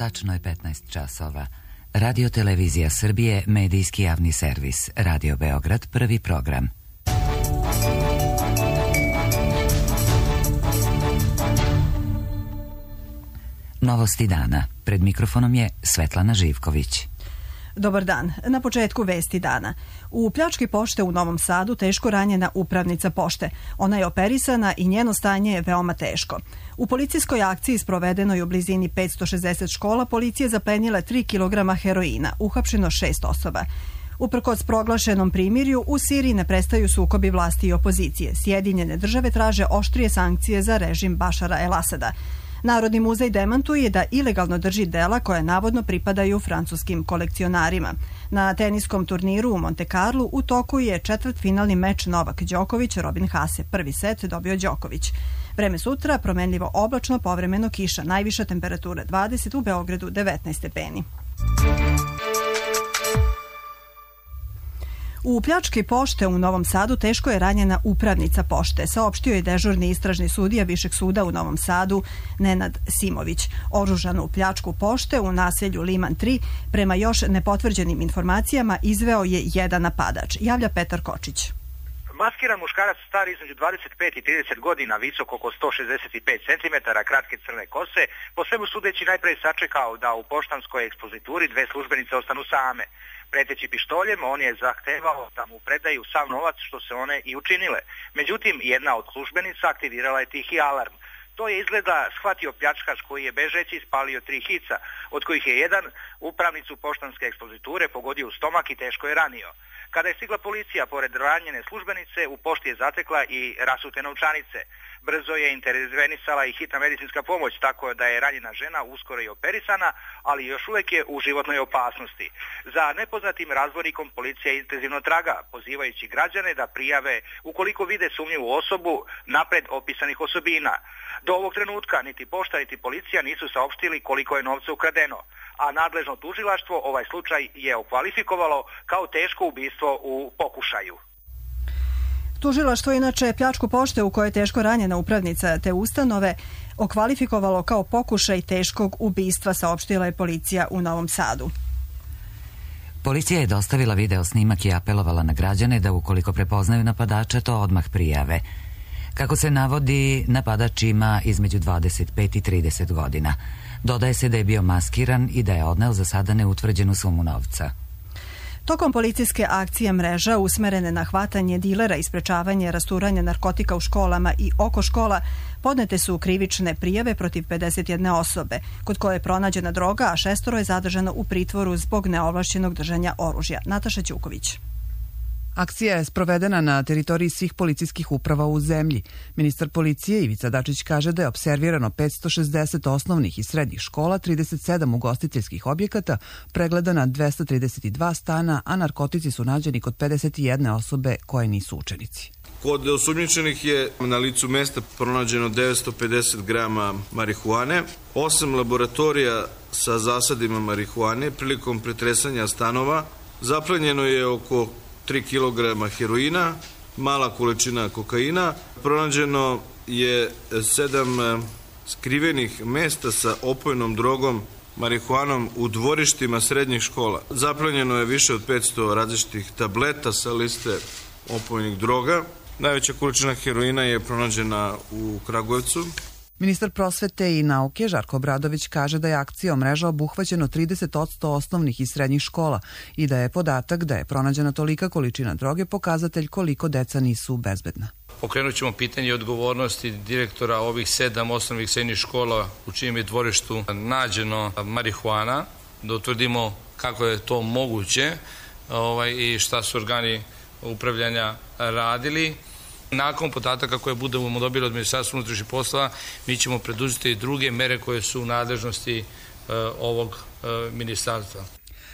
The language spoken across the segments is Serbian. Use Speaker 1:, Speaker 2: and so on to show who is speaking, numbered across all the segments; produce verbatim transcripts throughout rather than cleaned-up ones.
Speaker 1: Tačno je petnaest časova. Radio Televizija Srbije, medijski javni servis. Radio Beograd, prvi program. Novosti dana. Pred mikrofonom je Svetlana Živković.
Speaker 2: Dobar dan. Na početku vesti dana. U pljački pošte u Novom Sadu teško ranjena upravnica pošte. Ona je operisana i njeno stanje je veoma teško. U policijskoj akciji sprovedenoj u blizini petsto šezdeset škola policija zaplenila tri kilograma heroina, uhapšeno šest osoba. Uprkos proglašenom primirju, u Siriji ne prestaju sukobi vlasti i opozicije. Sjedinjene države traže oštrije sankcije za režim Bašara el-Asada. Narodni muzej demantuje da ilegalno drži dela koja navodno pripadaju francuskim kolekcionarima. Na teniskom turniru u Monte Carlu u toku je četvrtfinalni meč Novak Đoković, Robin Haase. Prvi set dobio Đoković. Vreme sutra, promenljivo oblačno, povremeno kiša. Najviša temperatura dvadeset, u Beogradu devetnaest stepeni. U pljački pošte u Novom Sadu teško je ranjena upravnica pošte, saopštio je dežurni istražni sudija Višeg suda u Novom Sadu Nenad Simović. Oružanu pljačku pošte u naselju Liman tri, prema još nepotvrđenim informacijama, izveo je jedan napadač. Javlja Petar Kočić.
Speaker 3: Maskiran muškarac star između dvadeset pet i trideset godina, visok oko sto šezdeset pet centimetara, kratke crne kose, po svemu sudeći najpre sačekao da u poštanskoj ekspozituri dve službenice ostanu same. Preteći pištoljem, on je zahtevao da mu predaju sav novac, što se one i učinile. Međutim, jedna od službenica aktivirala je tihi alarm. To je izgleda shvatio pljačkaš koji je bežeći spalio tri hica, od kojih je jedan upravnicu poštanske ekspoziture pogodio u stomak i teško je ranio. Kada je stigla policija, pored ranjene službenice, u pošti je zatekla i rasute novčanice. Brzo je intervenisala i hitna medicinska pomoć, tako da je ranjena žena uskoro i operisana, ali još uvijek je u životnoj opasnosti. Za nepoznatim razbornikom policija intenzivno traga, pozivajući građane da prijave ukoliko vide sumnjivu osobu napred opisanih osobina. Do ovog trenutka niti pošta niti policija nisu saopštili koliko je novca ukradeno, a nadležno tužilaštvo ovaj slučaj je okvalifikovalo kao teško ubistvo u pokušaju.
Speaker 2: Tužilaštvo inače pljačku pošte u kojoj je teško ranjena upravnica te ustanove okvalifikovalo kao pokušaj teškog ubistva, saopštila je policija u Novom Sadu.
Speaker 1: Policija je dostavila video snimak i apelovala na građane da ukoliko prepoznaju napadača to odmah prijave. Kako se navodi, napadač ima između dvadeset pet i trideset godina. Dodaje se da je bio maskiran i da je odneo za sada neutvrđenu sumu novca.
Speaker 2: Tokom policijske akcije Mreža, usmerene na hvatanje dilera i sprečavanje rasturanja narkotika u školama i oko škola, podnete su krivične prijave protiv pedeset jedne osobe, kod koje je pronađena droga, a šestoro je zadržano u pritvoru zbog neovlašćenog držanja oružja. Nataša Ćuković.
Speaker 4: Akcija je sprovedena na teritoriji svih policijskih uprava u zemlji. Ministar policije Ivica Dačić kaže da je opservirano petsto šezdeset osnovnih i srednjih škola, trideset sedam ugostiteljskih objekata, pregledana dvesta trideset dva stana, a narkotici su nađeni kod pedeset jedne osobe koje nisu učenici.
Speaker 5: Kod osumnjičenih je na licu mesta pronađeno devetsto pedeset grama marihuane, osam laboratorija sa zasadima marihuane. Prilikom pretresanja stanova zaplenjeno je oko tri kilograma heroina, mala količina kokaina. Pronađeno je sedam skrivenih mesta sa opojnom drogom, marihuanom u dvorištima srednjih škola. Zaplenjeno je više od petsto različitih tableta sa liste opojnih droga. Najveća količina heroina je pronađena u Kragujevcu.
Speaker 4: Ministar prosvete i nauke Žarko Obradović kaže da je akcijom Mreža obuhvaćeno trideset posto osnovnih i srednjih škola i da je podatak da je pronađena tolika količina droge pokazatelj koliko deca nisu bezbedna.
Speaker 6: Pokrenut ćemo pitanje odgovornosti direktora ovih sedam osnovnih srednjih škola u čijem je dvorištu nađeno marihuana, da utvrdimo kako je to moguće ovaj, i šta su organi upravljanja radili. Nakon podataka koje budemo dobili od Ministarstva unutrašnjih poslova, mi ćemo preduzeti i druge mere koje su u nadležnosti e, ovog e, ministarstva.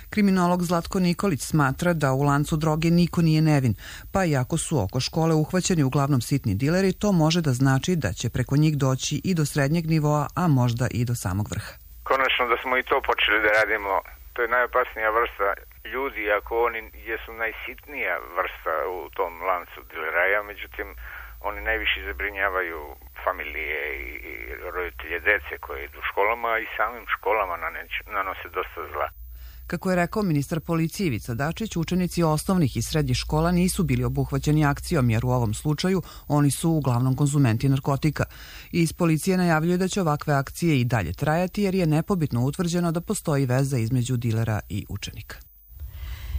Speaker 4: Kriminolog Zlatko Nikolić smatra da u lancu droge niko nije nevin, pa iako su oko škole uhvaćeni uglavnom sitni dileri, to može da znači da će preko njih doći i do srednjeg nivoa, a možda i do samog vrha.
Speaker 7: Konačno da smo i to počeli da radimo, to je najopasnija vrsta ljudi, ako oni jesu najsitnija vrsta u tom lancu dileraja, međutim Oni najviše zabrinjavaju familije i roditelje dece koje idu u školama i samim školama nanose dosta zla.
Speaker 4: Kako je rekao ministar policije Ivica Dačić, učenici osnovnih i srednjih škola nisu bili obuhvaćeni akcijom, jer u ovom slučaju oni su uglavnom konzumenti narkotika. Iz policije najavljuje da će ovakve akcije i dalje trajati, jer je nepobitno utvrđeno da postoji veza između dilera i učenika.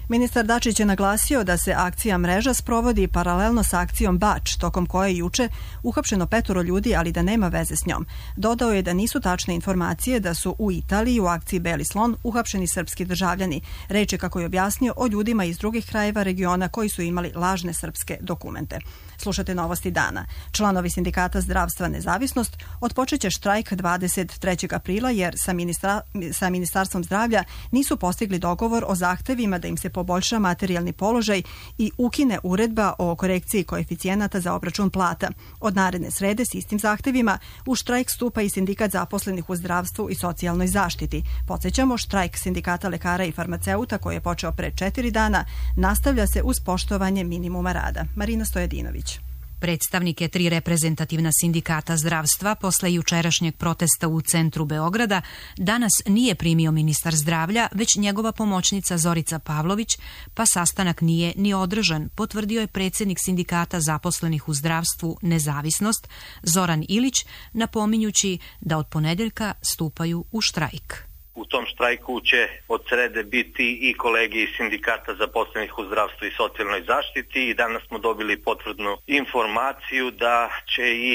Speaker 2: Ministar Dačić je naglasio da se akcija Mreža sprovodi paralelno sa akcijom Bač, tokom koje je juče uhapšeno petoro ljudi, ali da nema veze s njom. Dodao je da nisu tačne informacije da su u Italiji u akciji Beli slon uhapšeni srpski državljani. Reč je, kako je objasnio, o ljudima iz drugih krajeva regiona koji su imali lažne srpske dokumente. Slušate Novosti dana. Članovi Sindikata zdravstva Nezavisnost otpočeće štrajk dvadeset trećeg aprila jer sa, ministra, sa Ministarstvom zdravlja nisu postigli dogovor o zahtevima da im se poboljša materijalni položaj i ukine uredba o korekciji koeficijenata za obračun plata. Od naredne srede s istim zahtevima u štrajk stupa i Sindikat zaposlenih u zdravstvu i socijalnoj zaštiti. Podsjećamo, štrajk Sindikata lekara i farmaceuta, koji je počeo pre četiri dana, nastavlja se uz poštovanje minimuma rada. Marina Stojadinović.
Speaker 8: Predstavnike tri reprezentativna sindikata zdravstva posle jučerašnjeg protesta u centru Beograda danas nije primio ministar zdravlja, već njegova pomoćnica Zorica Pavlović, pa sastanak nije ni održan, potvrdio je predsjednik Sindikata zaposlenih u zdravstvu Nezavisnost Zoran Ilić, napominjući da od ponedeljka stupaju u štrajk.
Speaker 9: U tom štrajku će od srede biti i kolege iz Sindikata zaposlenih u zdravstvu i socijalnoj zaštiti i danas smo dobili potvrdnu informaciju da će i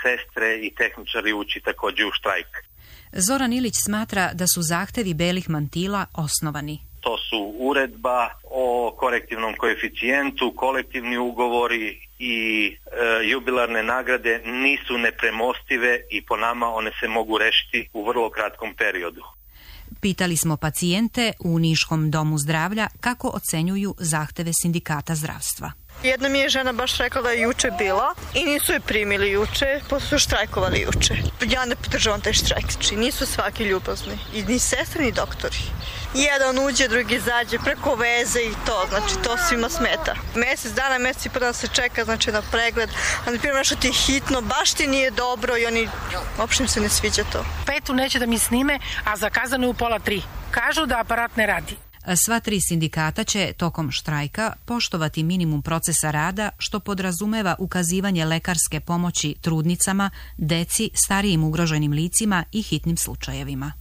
Speaker 9: sestre i tehničari ući također u štrajk.
Speaker 8: Zoran Ilić smatra da su zahtevi belih mantila osnovani.
Speaker 9: To su uredba o korektivnom koeficijentu, kolektivni ugovori i e, jubilarne nagrade nisu nepremostive i po nama one se mogu rešiti u vrlo kratkom periodu.
Speaker 8: Pitali smo pacijente u Niškom domu zdravlja kako ocenjuju zahteve Sindikata zdravstva.
Speaker 10: Jedna mi je žena baš rekla da je juče bila i nisu je primili juče, pa su štrajkovali juče. Ja ne podržavam taj štrajk, znači nisu svaki ljubazni, i ni sestre ni doktori. Jedan uđe, drugi izađe preko veze i to, znači to svima smeta. Mesec dana, mesec i prvo se čeka, znači na pregled, a na primjer nešto ti hitno, baš ti nije dobro i oni, uopšte im se ne sviđa to.
Speaker 11: Petu neće da mi snime, a zakazano je u pola tri. Kažu da aparat ne radi.
Speaker 8: Sva tri sindikata će tokom štrajka poštovati minimum procesa rada, što podrazumeva ukazivanje lekarske pomoći trudnicama, deci, starijim ugroženim licima i hitnim slučajevima.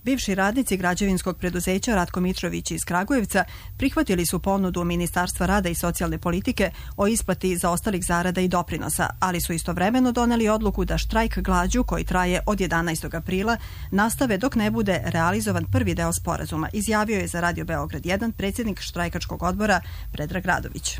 Speaker 2: Bivši radnici građevinskog preduzeća Ratko Mitrović iz Kragujevca prihvatili su ponudu Ministarstva rada i socijalne politike o isplati zaostalih zarada i doprinosa, ali su istovremeno doneli odluku da štrajk glađu, koji traje od jedanaestog aprila, nastave dok ne bude realizovan prvi deo sporazuma, izjavio je za Radio Beograd jedan predsjednik štrajkačkog odbora Predrag Radović.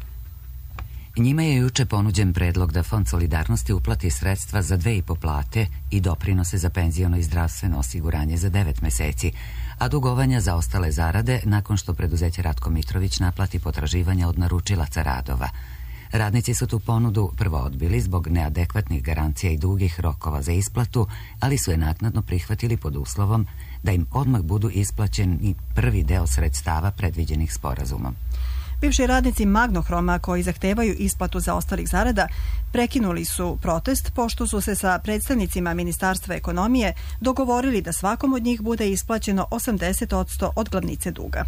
Speaker 1: Njima je juče ponuđen predlog da Fond solidarnosti uplati sredstva za dve i po plate i doprinose za penziono i zdravstveno osiguranje za devet meseci, a dugovanja za ostale zarade nakon što preduzeće Ratko Mitrović naplati potraživanja od naručilaca radova. Radnici su tu ponudu prvo odbili zbog neadekvatnih garancija i dugih rokova za isplatu, ali su je naknadno prihvatili pod uslovom da im odmah budu isplaćeni prvi deo sredstava predviđenih sporazumom.
Speaker 2: Bivši radnici Magnohroma, koji zahtevaju isplatu za ostalih zarada, prekinuli su protest pošto su se sa predstavnicima Ministarstva ekonomije dogovorili da svakom od njih bude isplaćeno osamdeset posto od glavnice duga.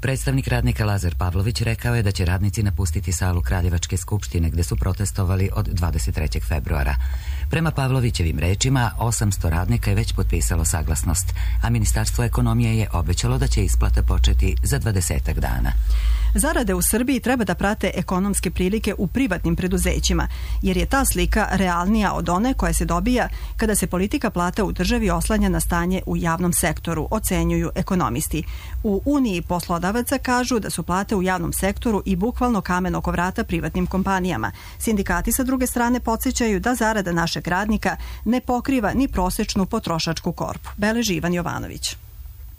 Speaker 1: Predstavnik radnika Lazar Pavlović rekao je da će radnici napustiti salu Kraljevačke skupštine gde su protestovali od dvadeset trećeg februara. Prema Pavlovićevim rečima, osamsto radnika je već potpisalo saglasnost, a Ministarstvo ekonomije je obećalo da će isplata početi za dvadesetak dana.
Speaker 2: Zarade u Srbiji treba da prate ekonomske prilike u privatnim preduzećima, jer je ta slika realnija od one koja se dobija kada se politika plata u državi oslanja na stanje u javnom sektoru, ocenjuju ekonomisti. U Uniji poslodavaca kažu da su plate u javnom sektoru i bukvalno kamen oko vrata privatnim kompanijama. Sindikati sa druge strane podsjećaju da zarada našeg radnika ne pokriva ni prosečnu potrošačku korpu. Beleži Ivan Jovanović.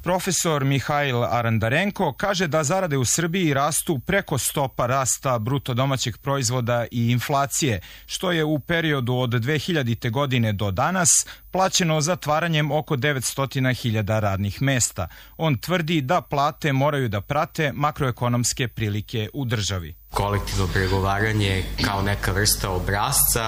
Speaker 12: Profesor Mihajl Arandarenko kaže da zarade u Srbiji rastu preko stopa rasta bruto domaćeg proizvoda i inflacije, što je u periodu od dve hiljadite. godine do danas plaćeno zatvaranjem oko devetsto hiljada radnih mesta. On tvrdi da plate moraju da prate makroekonomske prilike u državi.
Speaker 13: kolektivno pregovaranje kao neka vrsta obrasca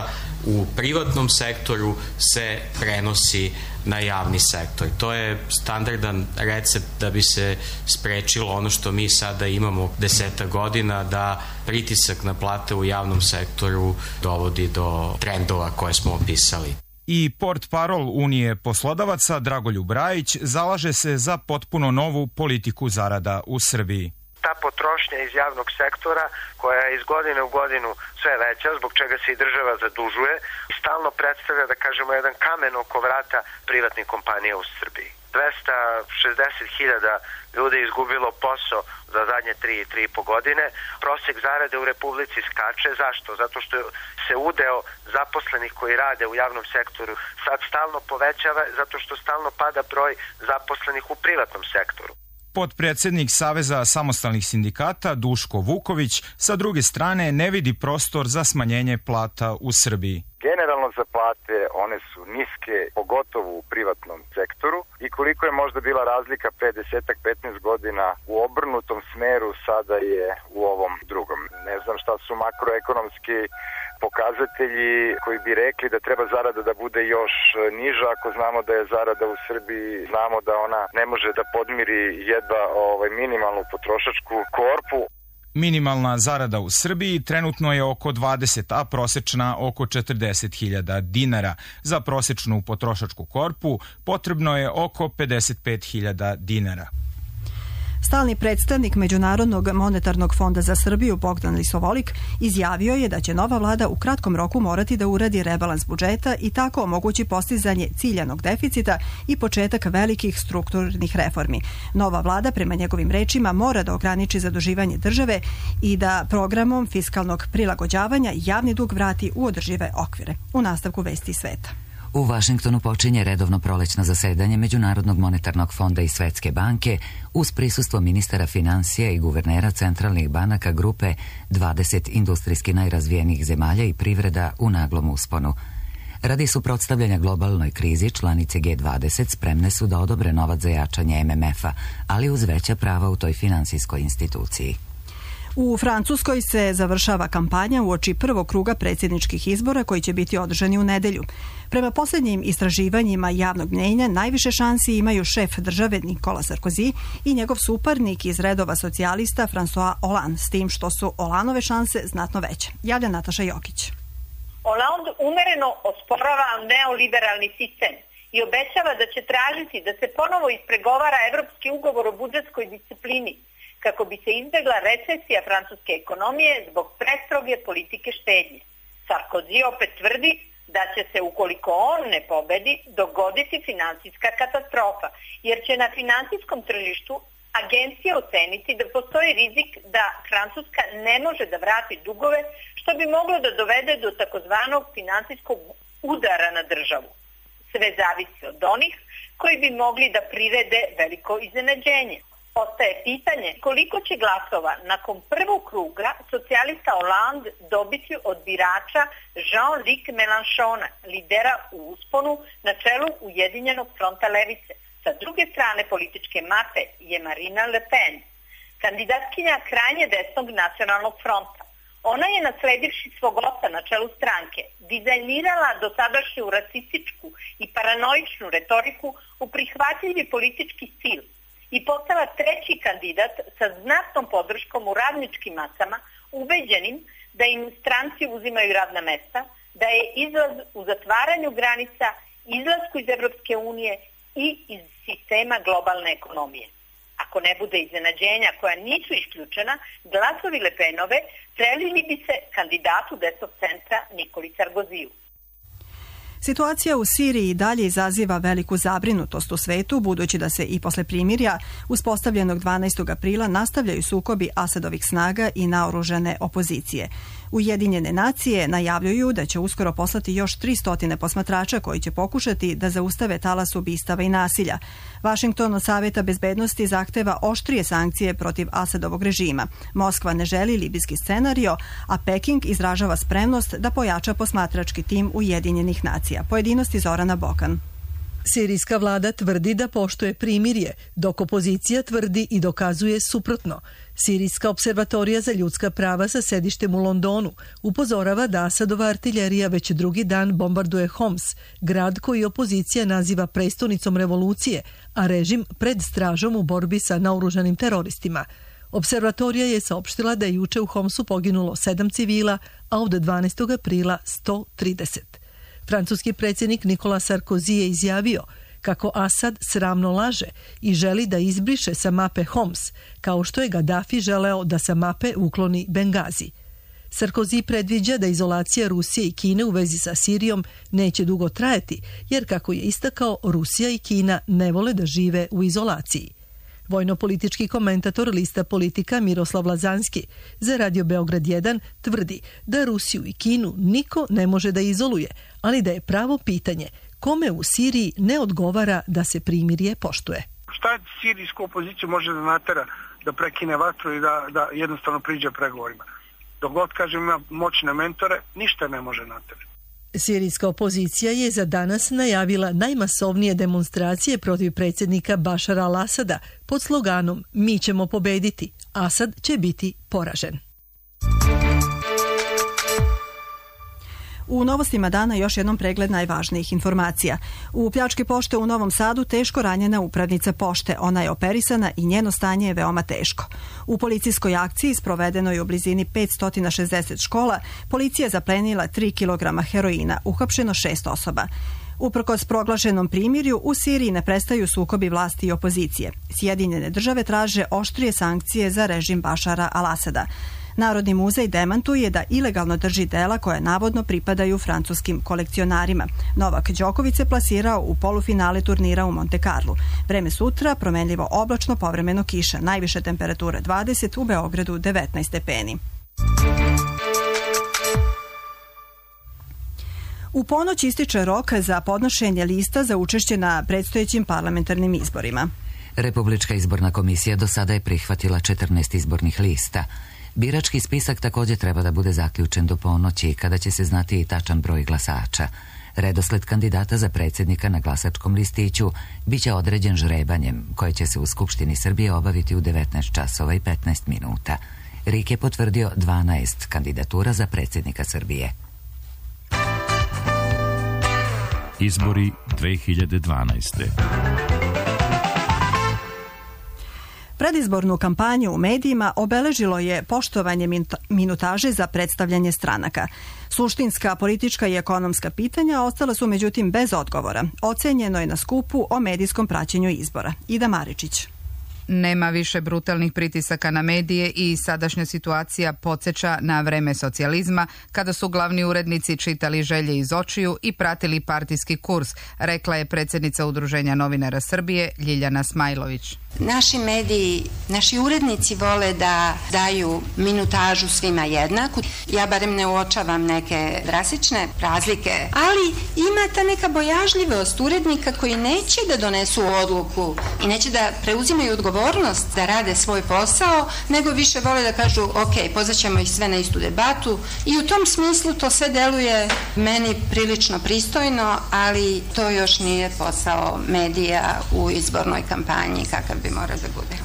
Speaker 13: u privatnom sektoru se prenosi na javni sektor. To je standardan recept da bi se sprečilo ono što mi sada imamo deseta godina, da pritisak na plate u javnom sektoru dovodi do trendova koje smo opisali.
Speaker 12: I portparol Unije poslodavaca Dragoljub Rajić zalaže se za potpuno novu politiku zarada u Srbiji.
Speaker 14: Ta potrošnja iz javnog sektora, koja je iz godine u godinu sve veća, zbog čega se i država zadužuje, stalno predstavlja, da kažemo, jedan kamen oko vrata privatnih kompanija u Srbiji. dvesta šezdeset hiljada ljudi je izgubilo posao za zadnje tri, tri i po godine. Prosek zarade u Republici skače. Zašto? Zato što se udeo zaposlenih koji rade u javnom sektoru sad stalno povećava, zato što stalno pada broj zaposlenih u privatnom sektoru.
Speaker 12: Potpredsednik Saveza samostalnih sindikata Duško Vuković sa druge strane ne vidi prostor za smanjenje plata u Srbiji.
Speaker 15: Generalno za plate one su niske, pogotovo u privatnom sektoru, i koliko je možda bila razlika pre desetak petnaest godina u obrnutom smeru, sada je u ovom drugom. Ne znam šta su makroekonomski pokazatelji koji bi rekli da treba zarada da bude još niža, ako znamo da je zarada u Srbiji, znamo da ona ne može da podmiri jedva ovaj, minimalnu potrošačku korpu.
Speaker 12: Minimalna zarada u Srbiji trenutno je oko dvadeset, a prosečna oko četrdeset hiljada dinara. Za prosečnu potrošačku korpu potrebno je oko pedeset pet hiljada dinara.
Speaker 2: Stalni predstavnik Međunarodnog monetarnog fonda za Srbiju Bogdan Lisovolik izjavio je da će nova vlada u kratkom roku morati da uradi rebalans budžeta i tako omogući postizanje ciljanog deficita i početak velikih strukturnih reformi. Nova vlada, prema njegovim rečima, mora da ograniči zaduživanje države i da programom fiskalnog prilagođavanja javni dug vrati u održive okvire. U nastavku Vesti sveta.
Speaker 1: U Vašingtonu počinje redovno prolećno zasedanje Međunarodnog monetarnog fonda i Svetske banke uz prisustvo ministara finansija i guvernera centralnih banaka grupe dvadeset industrijski najrazvijenijih zemalja i privreda u naglom usponu. Radi suprotstavljanja globalnoj krizi, članice G dvadeset spremne su da odobre novac za jačanje M M F-a, ali uz veća prava u toj finansijskoj instituciji.
Speaker 2: U Francuskoj se završava kampanja uoči prvog kruga predsjedničkih izbora koji će biti održani u nedelju. Prema posljednjim istraživanjima javnog mnjenja najviše šansi imaju šef države Nicolas Sarkozy i njegov suparnik iz redova socijalista François Hollande, s tim što su Hollandove šanse znatno veće. Javlja Nataša Jokić.
Speaker 16: Hollande umereno osporava neoliberalni sistem i obećava da će tražiti da se ponovo ispregovara evropski ugovor o budžetskoj disciplini, kako bi se izbjegla recesija francuske ekonomije zbog prestroge politike štednje. Sarkozy opet tvrdi da će se, ukoliko on ne pobedi, dogoditi finansijska katastrofa, jer će na finansijskom tržištu agencija oceniti da postoji rizik da Francuska ne može da vrati dugove, što bi moglo da dovede do takozvanog finansijskog udara na državu. Sve zavisi od onih koji bi mogli da prirede veliko iznenađenje. Ostaje pitanje koliko će glasova nakon prvog kruga socijalista Hollande dobiti od birača Jean-Luc Mélenchona, lidera u usponu na čelu Ujedinjenog fronta levice. Sa druge strane političke mape je Marine Le Pen, kandidatkinja krajnje desnog nacionalnog fronta. Ona je, nasledivši svog oca na čelu stranke, dizajnirala dosadašnju rasističku i paranoičnu retoriku u prihvatljivi politički stil i postala treći kandidat sa znatnom podrškom u radničkim masama, ubeđenim da im stranci uzimaju radna mesta, da je izlaz u zatvaranju granica, izlasku iz Evropske unije i iz sistema globalne ekonomije. Ako ne bude iznenađenja koja nisu isključena, glasovi Le Penove prelili bi se kandidatu desnog centra Nikoli Sarkozyju.
Speaker 2: Situacija u Siriji dalje izaziva veliku zabrinutost u svetu, budući da se i posle primirja uspostavljenog dvanaestog aprila nastavljaju sukobi Asadovih snaga i naoružane opozicije. Ujedinjene nacije najavljuju da će uskoro poslati još tristo posmatrača koji će pokušati da zaustave talas ubistava i nasilja. Vašington od Saveta bezbednosti zahteva oštrije sankcije protiv Asadovog režima. Moskva ne želi libijski scenario, a Peking izražava spremnost da pojača posmatrački tim Ujedinjenih nacija. Pojedinosti Zorana Bokan.
Speaker 17: Sirijska vlada tvrdi da poštuje primirje, dok opozicija tvrdi i dokazuje suprotno. Sirijska observatorija za ljudska prava sa sedištem u Londonu upozorava da Asadova artiljerija već drugi dan bombarduje Homs, grad koji opozicija naziva prestonicom revolucije, a režim pred stražom u borbi sa naoružanim teroristima. Observatorija je saopštila da je juče u Homsu poginulo sedam civila, a od dvanaestog aprila sto trideset. Francuski predsjednik Nicolas Sarkozy je izjavio kako Asad sramno laže i želi da izbriše sa mape Homs, kao što je Gaddafi želeo da sa mape ukloni Bengazi. Sarkozy predviđa da izolacija Rusije i Kine u vezi sa Sirijom neće dugo trajati, jer kako je istakao, Rusija i Kina ne vole da žive u izolaciji. Vojno-politički komentator lista Politika Miroslav Lazanski za Radio Beograd jedan tvrdi da Rusiju i Kinu niko ne može da izoluje, ali da je pravo pitanje kome u Siriji ne odgovara da se primirje poštuje.
Speaker 18: Šta sirijsku opoziciju može da natera da prekine vatru i da, da jednostavno priđe pregovorima? Dok god, kažem, ima moćne mentore, ništa ne može naterati.
Speaker 17: Sirijska opozicija je za danas najavila najmasovnije demonstracije protiv predsjednika Bašara al-Asada pod sloganom "Mi ćemo pobediti, Asad će biti poražen".
Speaker 2: U novostima dana još jednom pregled najvažnijih informacija. U pljački pošte u Novom Sadu teško ranjena upravnica pošte. Ona je operisana i njeno stanje je veoma teško. U policijskoj akciji sprovedenoj u blizini petsto šezdeset škola, policija je zaplenila tri kilograma heroina, uhapšeno šest osoba. Uprkos proglašenom primirju, u Siriji ne prestaju sukobi vlasti i opozicije. Sjedinjene države traže oštrije sankcije za režim Bašara al-Asada. Narodni muzej demantuje da ilegalno drži dela koja navodno pripadaju francuskim kolekcionarima. Novak Đoković se plasirao u polufinale turnira u Monte Carlu. Vreme sutra promenljivo oblačno, povremeno kiša. Najviše temperature dvadeset, u Beogradu devetnaest stepeni. U ponoć ističe rok za podnošenje lista za učešće na predstojećim parlamentarnim izborima.
Speaker 1: Republička izborna komisija do sada je prihvatila četrnaest izbornih lista. Birački spisak također treba da bude zaključen do ponoći, kada će se znati i tačan broj glasača. Redosled kandidata za predsjednika na glasačkom listiću biće određen žrebanjem, koje će se u Skupštini Srbije obaviti u devetnaest časova i petnaest minuta. R I K je potvrdio dvanaest kandidatura za predsjednika Srbije.
Speaker 19: Izbori dve hiljade dvanaeste.
Speaker 2: Predizbornu kampanju u medijima obeležilo je poštovanje minutaže za predstavljanje stranaka. Suštinska, politička i ekonomska pitanja ostala su međutim bez odgovora. Ocenjeno je na skupu o medijskom praćenju izbora. Ida Maričić.
Speaker 20: Nema više brutalnih pritisaka na medije i sadašnja situacija podsjeća na vreme socijalizma, kada su glavni urednici čitali želje iz očiju i pratili partijski kurs, rekla je predsjednica Udruženja novinara Srbije Ljiljana Smajlović.
Speaker 21: Naši mediji, naši urednici vole da daju minutažu svima jednaku. Ja barem ne uočavam neke drastične razlike, ali ima ta neka bojažljivost urednika koji neće da donesu odluku i neće da preuzimaju odgovornost da rade svoj posao, nego više vole da kažu ok, pozvaćemo ih sve na istu debatu i u tom smislu to sve deluje meni prilično pristojno, ali to još nije posao medija u izbornoj kampanji kakav bi mora da bude.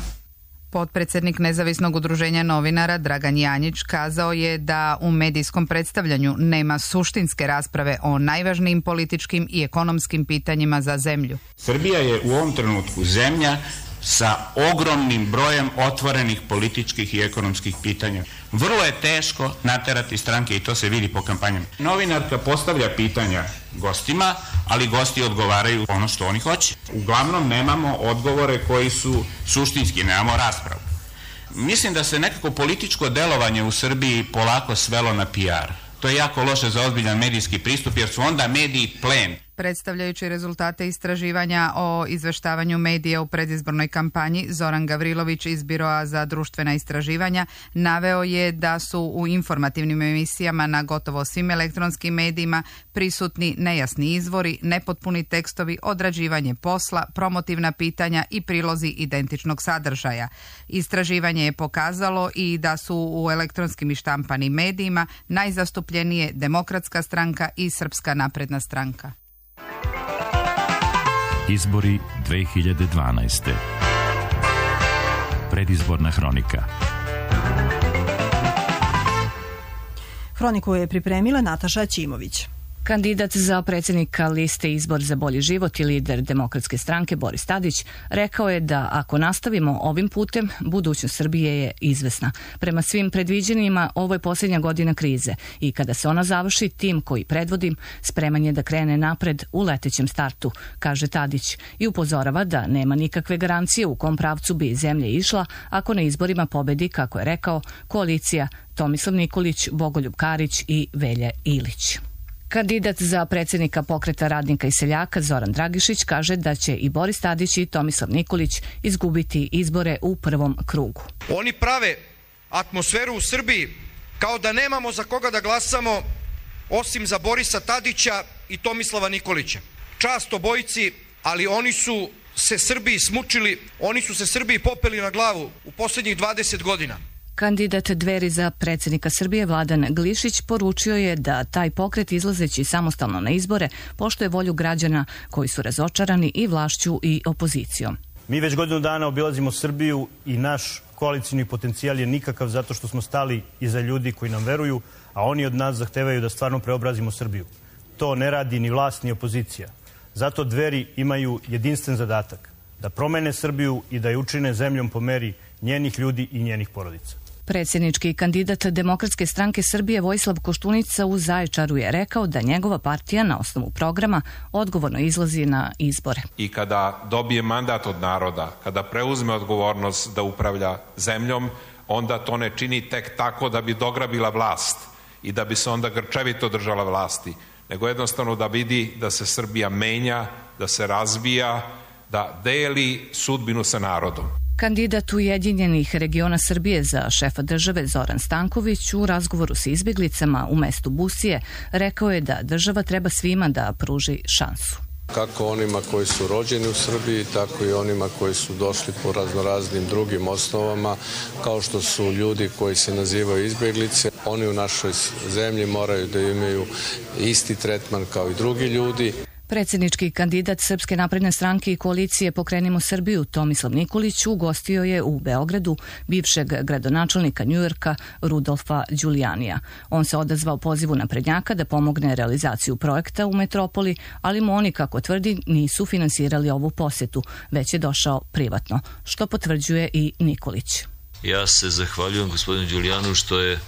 Speaker 20: Potpredsjednik Nezavisnog udruženja novinara Dragan Janjić kazao je da u medijskom predstavljanju nema suštinske rasprave o najvažnijim političkim i ekonomskim pitanjima za zemlju.
Speaker 22: Srbija je u ovom trenutku zemlja sa ogromnim brojem otvorenih političkih i ekonomskih pitanja. Vrlo je teško naterati stranke i to se vidi po kampanjama. Novinarka postavlja pitanja gostima, ali gosti odgovaraju ono što oni hoće. Uglavnom nemamo odgovore koji su suštinski, nemamo raspravu. Mislim da se nekako političko delovanje u Srbiji polako svelo na P R. To je jako loše za ozbiljan medijski pristup jer su onda mediji plen.
Speaker 20: Predstavljajući rezultate istraživanja o izveštavanju medija u predizbornoj kampanji, Zoran Gavrilović iz Biroa za društvena istraživanja naveo je da su u informativnim emisijama na gotovo svim elektronskim medijima prisutni nejasni izvori, nepotpuni tekstovi, odrađivanje posla, promotivna pitanja i prilozi identičnog sadržaja. Istraživanje je pokazalo i da su u elektronskim i štampanim medijima najzastupljenije Demokratska stranka i Srpska napredna stranka.
Speaker 19: Izbori dve hiljade dvanaeste. Predizborna hronika.
Speaker 2: Hroniku je pripremila Nataša Ćimović.
Speaker 3: Kandidat za predsjednika liste Izbor za bolji život i lider Demokratske stranke Boris Tadić rekao je da ako nastavimo ovim putem, budućnost Srbije je izvesna. Prema svim predviđenjima, ovo je posljednja godina krize i kada se ona završi, tim koji predvodim spreman je da krene napred u letećem startu, kaže Tadić, i upozorava da nema nikakve garancije u kom pravcu bi zemlja išla ako na izborima pobedi, kako je rekao, koalicija Tomislav Nikolić, Bogoljub Karić i Velja Ilić. Kandidat za predsjednika Pokreta radnika i seljaka Zoran Dragišić kaže da će i Boris Tadić i Tomislav Nikolić izgubiti izbore u prvom krugu.
Speaker 5: Oni prave atmosferu u Srbiji kao da nemamo za koga da glasamo osim za Borisa Tadića i Tomislava Nikolića. Čast obojici, ali oni su se Srbiji smučili, oni su se Srbiji popeli na glavu u posljednjih dvadeset godina.
Speaker 3: Kandidat Dveri za predsjednika Srbije Vladan Glišić poručio je da taj pokret izlazeći samostalno na izbore poštuje volju građana koji su razočarani i vlašću i opozicijom.
Speaker 23: Mi već godinu dana obilazimo Srbiju i naš koalicijni potencijal je nikakav zato što smo stali iza ljudi koji nam veruju, a oni od nas zahtevaju da stvarno preobrazimo Srbiju. To ne radi ni vlast ni opozicija. Zato Dveri imaju jedinstven zadatak da promene Srbiju i da je učine zemljom po meri njenih ljudi i njenih porodica.
Speaker 3: Predsjednički kandidat Demokratske stranke Srbije Vojislav Koštunica u Zaječaru je rekao da njegova partija na osnovu programa odgovorno izlazi na izbore.
Speaker 24: I kada dobije mandat od naroda, kada preuzme odgovornost da upravlja zemljom, onda to ne čini tek tako da bi dograbila vlast i da bi se onda grčevito držala vlasti, nego jednostavno da vidi da se Srbija menja, da se razvija, da deli sudbinu sa narodom.
Speaker 3: Kandidat Ujedinjenih regiona Srbije za šefa države Zoran Stanković u razgovoru s izbjeglicama u mestu Busije rekao je da država treba svima da pruži šansu.
Speaker 25: Kako onima koji su rođeni u Srbiji, tako i onima koji su došli po raznoraznim drugim osnovama, kao što su ljudi koji se nazivaju izbjeglice. Oni u našoj zemlji moraju da imaju isti tretman kao i drugi ljudi.
Speaker 3: Predsjednički kandidat Srpske napredne stranke i koalicije Pokrenimo Srbiju Tomislav Nikolić ugostio je u Beogradu bivšeg gradonačelnika Njujorka Rudolfa Đulijanija. On se odazvao pozivu naprednjaka da pomogne realizaciju projekta u metropoli, ali mu oni, kako tvrdi, nisu finansirali ovu posjetu, već je došao privatno, što potvrđuje i Nikolić.
Speaker 26: Ja se zahvaljujem gospodinu Đulijanu što je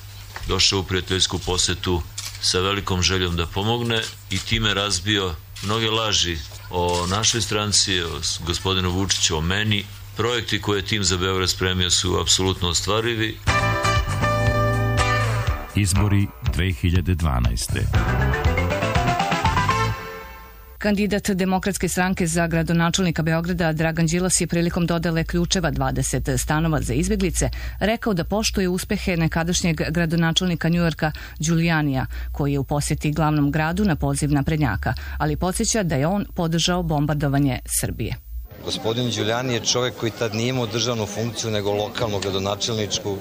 Speaker 26: došao u prijateljsku posjetu sa velikom željom da pomogne i time razbio mnoge laži o našoj stranci, o gospodinu Vučiću, o meni. Projekti koje je tim za Beograd spremio su apsolutno ostvarivi.
Speaker 19: Izbori dve hiljade dvanaeste.
Speaker 3: Kandidat Demokratske stranke za gradonačelnika Beograda Dragan Đilas je prilikom dodele ključeva dvadeset stanova za izbjeglice rekao da poštuje uspehe nekadašnjeg gradonačelnika Njujorka Đulijanija, koji je u posjeti glavnom gradu na poziv naprednjaka, ali podsjeća da je on podržao bombardovanje Srbije.
Speaker 27: Gospodin Đulijani je čovjek koji tad nije imao državnu funkciju nego lokalnu gradonačelničku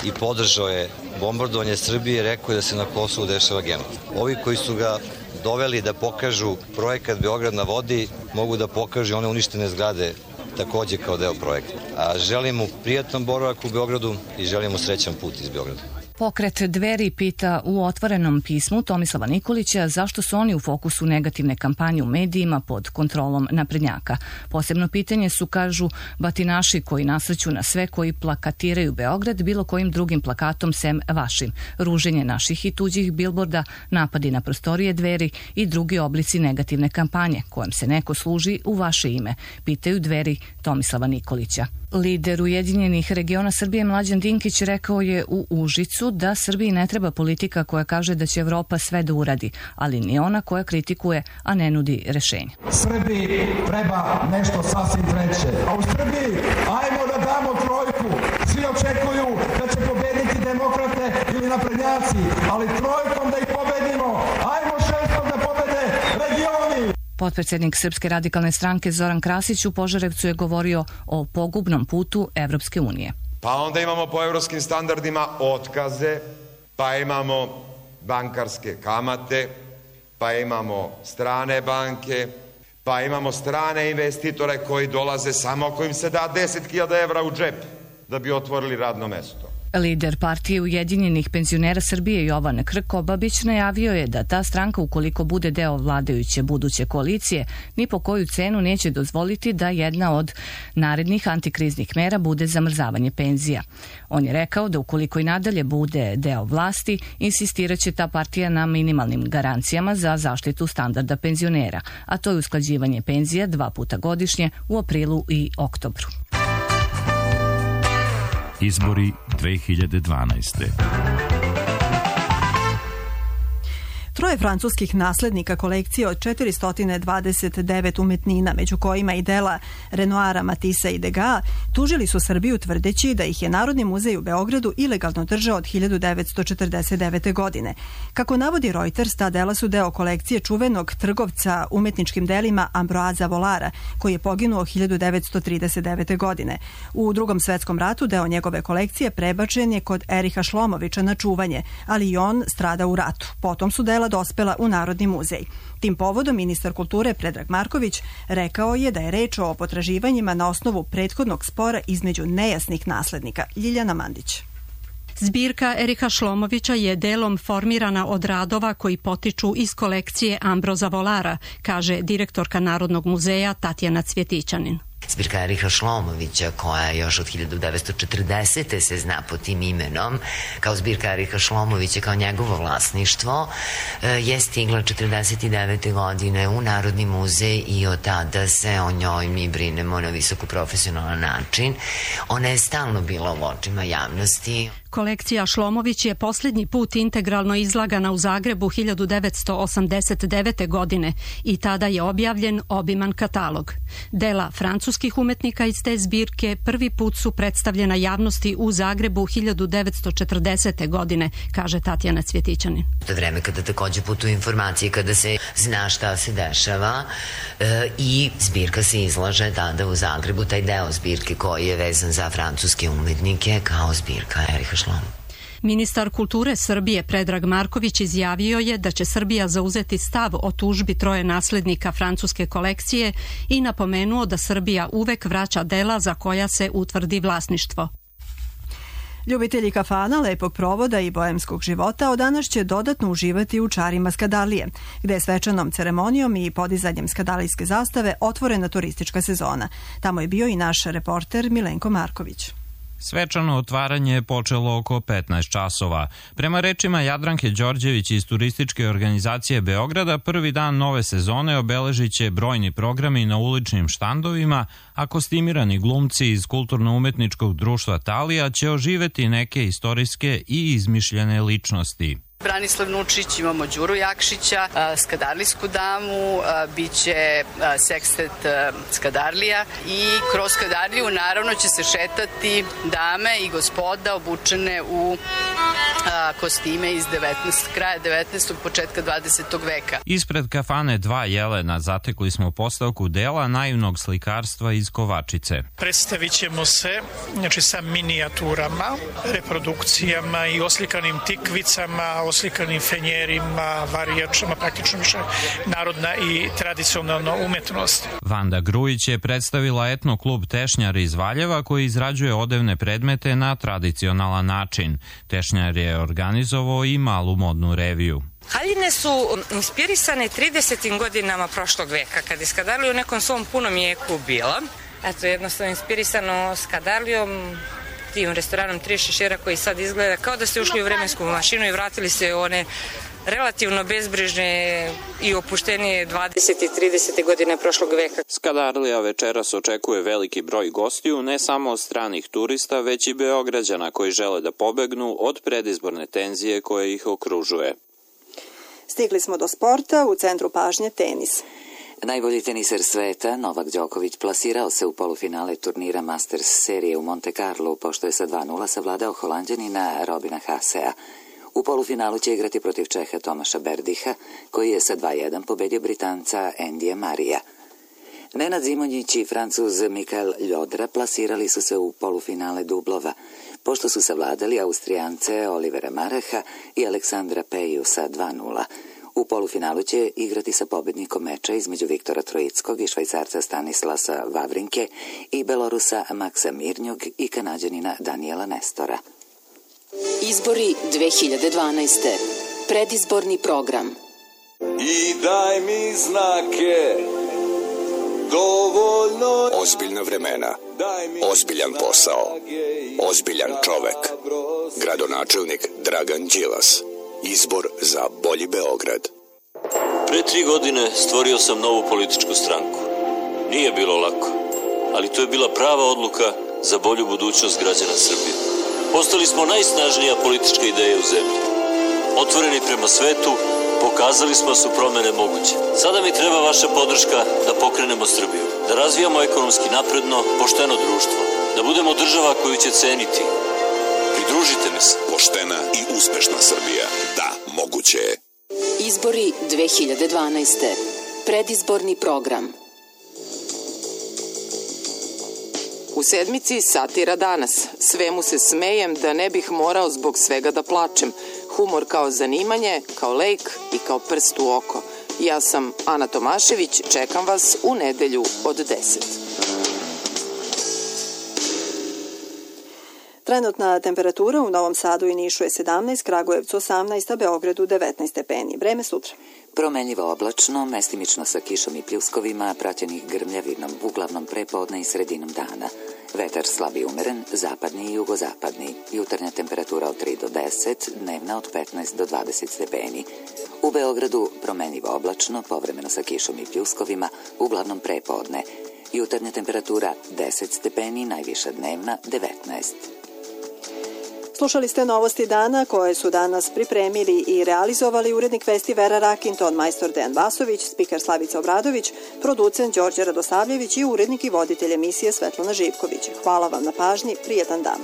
Speaker 27: i podržao je bombardovanje Srbije, rekao je da se na Kosovu dešava genocid. Ovi koji su ga doveli da pokažu projekat Beograd na vodi, mogu da pokažu one uništene zgrade takođe kao deo projekta. A želim mu prijatan boravak u Beogradu i želim mu srećan put iz Beograda.
Speaker 3: Pokret Dveri pita u otvorenom pismu Tomislava Nikolića zašto su oni u fokusu negativne kampanje u medijima pod kontrolom naprednjaka. Posebno pitanje su, kažu, batinaši koji nasrću na sve koji plakatiraju Beograd bilo kojim drugim plakatom sem vašim, ruženje naših i tuđih bilborda, napadi na prostorije Dveri i drugi oblici negativne kampanje kojom se neko služi u vaše ime, pitaju Dveri Tomislava Nikolića. Lider Ujedinjenih regiona Srbije Mlađan Dinkić rekao je u Užicu da Srbiji ne treba politika koja kaže da će Evropa sve da uradi, ali ni ona koja kritikuje, a ne nudi rešenje.
Speaker 28: Srbiji treba nešto sasvim treće. A u Srbiji ajmo da damo trojku. Svi očekuju da će pobediti demokrate ili naprednjaci, ali trojkom da ih pobedimo. Ajmo šestom da pobede regioni.
Speaker 3: Potpredsjednik Srpske radikalne stranke Zoran Krasić u Požarevcu je govorio o pogubnom putu Evropske unije.
Speaker 29: Pa onda imamo po evropskim standardima otkaze, pa imamo bankarske kamate, pa imamo strane banke, Pa imamo strane investitore koji dolaze samo ako im se da deset hiljada evra u džep da bi otvorili radno mesto.
Speaker 3: Lider partije Ujedinjenih penzionera Srbije Jovan Krkobabić najavio je da ta stranka, ukoliko bude deo vladajuće buduće koalicije, ni po koju cenu neće dozvoliti da jedna od narednih antikriznih mera bude zamrzavanje penzija. On je rekao da ukoliko i nadalje bude deo vlasti, insistiraće ta partija na minimalnim garancijama za zaštitu standarda penzionera, a to je usklađivanje penzija dva puta godišnje u aprilu i oktobru.
Speaker 19: Izbori dve hiljade dvanaeste.
Speaker 2: Troje francuskih naslednika kolekcije od četiristo dvadeset devet umetnina, među kojima i dela Renoira, Matissa i Degas, tužili su Srbiju tvrdeći da ih je Narodni muzej u Beogradu ilegalno držao od hiljadu devetsto četrdeset devete. godine. Kako navodi Reuters, ta dela su deo kolekcije čuvenog trgovca umetničkim delima Ambroisa Volara, koji je poginuo hiljadu devetsto trideset devete. godine. U Drugom svetskom ratu deo njegove kolekcije prebačen je kod Eriha Šlomovića na čuvanje, ali i on strada u ratu. Potom su dela dospela u Narodni muzej. Tim povodom ministar kulture Predrag Marković rekao je da je reč o potraživanjima na osnovu prethodnog spora između nejasnih naslednika. Ljiljana Mandić.
Speaker 4: Zbirka Eriha Šlomovića je delom formirana od radova koji potiču iz kolekcije Ambroisa Volara, kaže direktorka Narodnog muzeja Tatjana Cvjetićanin.
Speaker 6: Zbirka Eriha Šlomovića, koja još od hiljadu devetsto četrdesete. se zna pod tim imenom, kao zbirka Eriha Šlomovića, kao njegovo vlasništvo, je stigla četrdeset devete. godine u Narodni muzej i od tada se o njoj mi brinemo na visoko profesionalan način. Ona je stalno bila u očima javnosti.
Speaker 4: Kolekcija Šlomović je posljednji put integralno izlagana u Zagrebu hiljadu devetsto osamdeset devete. godine i tada je objavljen obiman katalog. Dela francuskih umetnika iz te zbirke prvi put su predstavljena javnosti u Zagrebu hiljadu devetsto četrdesete. godine, kaže Tatjana Cvjetićanin.
Speaker 6: To je vreme kada takođe putuju informacije, kada se zna šta se dešava e, i zbirka se izlaže tada u Zagrebu, taj deo zbirke koji je vezan za francuske umetnike kao zbirka Eriha Šlomovića.
Speaker 4: Ministar kulture Srbije Predrag Marković izjavio je da će Srbija zauzeti stav o tužbi troje naslednika francuske kolekcije i napomenuo da Srbija uvek vraća dela za koja se utvrdi vlasništvo.
Speaker 2: Ljubitelji kafana, lepog provoda i boemskog života od danas će dodatno uživati u čarima Skadarlije, gde je svečanom ceremonijom i podizanjem skadalijske zastave otvorena turistička sezona. Tamo je bio i naš reporter Milenko Marković.
Speaker 7: Svečano otvaranje je počelo oko petnaest časova. Prema rečima Jadranke Đorđević iz turističke organizacije Beograda, prvi dan nove sezone obeležit će brojni programi na uličnim štandovima, a kostimirani glumci iz Kulturno-umetničkog društva Talija će oživeti neke istorijske i izmišljene ličnosti.
Speaker 8: Branislav Nučić, imamo Đuru Jakšića, Skadarlijsku damu, biće sekstet Skadarlija i kroz Skadarliju naravno će se šetati dame i gospoda obučene u kostime iz devetnaestog kraja devetnaestog početka dvadesetog veka.
Speaker 7: Ispred kafane Dva Jelena zatekli smo postavku dela naivnog slikarstva iz Kovačice.
Speaker 9: Predstavit ćemo se znači, sa minijaturama, reprodukcijama i oslikanim tikvicama, oslikanim fenjerima, varijačama, praktično više narodna i tradicionalna umetnost.
Speaker 7: Vanda Grujić je predstavila etno klub Tešnjar iz Valjeva koji izrađuje odevne predmete na tradicionalan način. Tešnjar je organizovao i malu modnu reviju.
Speaker 10: Haljine su inspirisane tridesetim godinama prošlog veka, kad je Skadarlija u nekom svom punom jeku bila. Eto, jednostavno inspirisano Skadarlijom, tim restoranom Tri šešira koji sad izgleda kao da ste ušli u vremensku mašinu i vratili se u one relativno bezbrižne i opuštenije dvadesete i tridesete godine prošlog veka.
Speaker 7: Skadarlija večeras očekuje veliki broj gostiju, ne samo od stranih turista, već i Beograđana koji žele da pobegnu od predizborne tenzije koje ih okružuje.
Speaker 2: Stigli smo do sporta, u centru pažnje tenis.
Speaker 1: Najbolji teniser sveta, Novak Đoković, plasirao se u polufinale turnira Masters serije u Monte Carlo, pošto je sa dva nula savladao Holanđanina Robina Hasea. U polufinalu će igrati protiv Čeha Tomaša Berdiha, koji je sa dva jedan pobedio Britanca Endija Marija. Nenad Zimonjić i Francuz Mikael Ljodra plasirali su se u polufinale dublova, pošto su savladali Austrijance Olivera Maraha i Aleksandra Peju sa dva nula. U polufinalu će igrati sa pobednikom meča između Viktora Trojickog i Švajcarca Stanislasa Vavrinke i Belorusa Maksa Mirnjog i Kanađanina Daniela Nestora.
Speaker 11: Izbori dve hiljade dvanaeste. Predizborni program.
Speaker 12: I daj mi znake, dovoljno...
Speaker 13: Ozbiljna vremena, ozbiljan posao, ozbiljan čovek. Gradonačelnik Dragan Đilas. Izbor za bolji Beograd.
Speaker 14: Pre tri godine stvorio sam novu političku stranku. Nije bilo lako, ali to je bila prava odluka za bolju budućnost građana Srbije. Postali smo najsnažnija politička ideja u zemlji. Otvoreni prema svetu, pokazali smo da su promene moguće. Sada mi treba vaša podrška da pokrenemo Srbiju, da razvijamo ekonomski napredno, pošteno društvo, da budemo država koju će ceniti. Pridružite mi se.
Speaker 13: Poštena i uspešna Srbija. Da, moguće je.
Speaker 11: Izbori dve hiljade dvanaeste. Predizborni program.
Speaker 15: U sedmici Satira danas. Svemu se smejem da ne bih morao zbog svega da plačem. Humor kao zanimanje, kao lek i kao prst u oko. Ja sam Ana Tomašević, čekam vas u nedelju od deset.
Speaker 2: Trenutna temperatura u Novom Sadu i Nišu je sedamnaest, Kragujevcu osamnaest, a Beogradu devetnaest stepeni. Vreme sutra.
Speaker 1: Promenljivo oblačno, mestimično sa kišom i pljuskovima, praćenih grmljavinom, uglavnom prepodne i sredinom dana. Vetar slab i umeren, zapadni i jugozapadni. Jutarnja temperatura od tri do deset, dnevna od petnaest do dvadeset stepeni. U Beogradu promenljivo oblačno, povremeno sa kišom i pljuskovima, uglavnom prepodne. Jutarnja temperatura deset stepeni, najviša dnevna devetnaest.
Speaker 2: Slušali ste novosti dana koje su danas pripremili i realizovali urednik vesti Vera Rakin, ton majstor Dejan Vasović, spiker Slavica Obradović, producent Đorđe Radosavljević i urednik i voditelj emisije Svetlana Živković. Hvala vam na pažnji, prijetan dan.